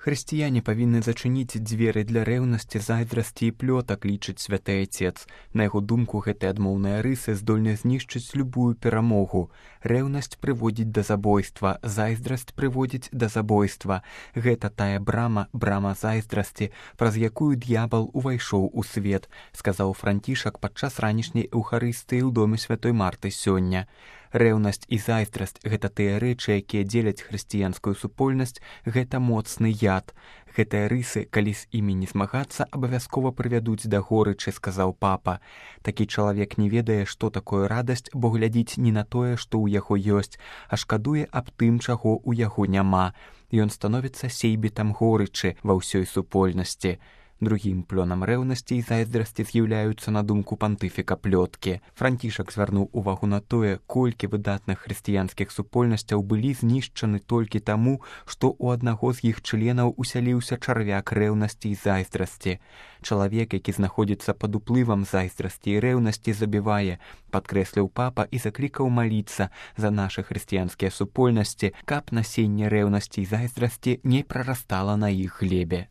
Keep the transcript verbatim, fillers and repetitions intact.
Хрысціяне павінны зачыніць дзверы для рэўнасці, зайздрасці і плётак, лічыць святы Айцец. На яго думку, гэтыя адмоўныя рысы здольны знішчыць любую перамогу. Рэўнасць прыводзіць да забойства, зайздрасць прыводзіць да забойства. Гэта тая брама, брама зайздрасці, праз якую д'ябал увайшоў у свет, сказаў Францішак падчас ранішняй эўхарыстыі ў доме святой Марты сёння. Рэўнасць і зайздрасць – гэта тыя рэчы, якія дзеляць хрысціянскую супольнасць, гэта моцны яд. Гэтыя рысы, калі з імі не змагацца, абавязкова прывядуць да горычы, сказаў папа. Такі чалавек не ведае, што такое радасць, бо глядзіць не на тое, што ў яго ёсць, а шкадуе аб тым, чаго ў яго няма. Ён становіцца сейбітам горычы ва ўсёй супольнасці. Другім плёнам рэўнасці і зайздрасці з'яўляюцца, на думку пантыфіка, плёткі. Францішак звярнуў увагу на тое, колькі выдатных хрысціянскіх супольнасцяў былі знішчаны толькі таму, што ў аднаго з іх членаў усяліўся чарвяк рэўнасці і зайздрасці. Чалавек, які знаходзіцца пад уплывам зайздрасці і рэўнасці, забівае, падкрэсліў папа і заклікаў маліцца за нашы хрысціянскія супольнасці, каб насенне рэўнасці і зайздрасці не прарастала на іх глебе.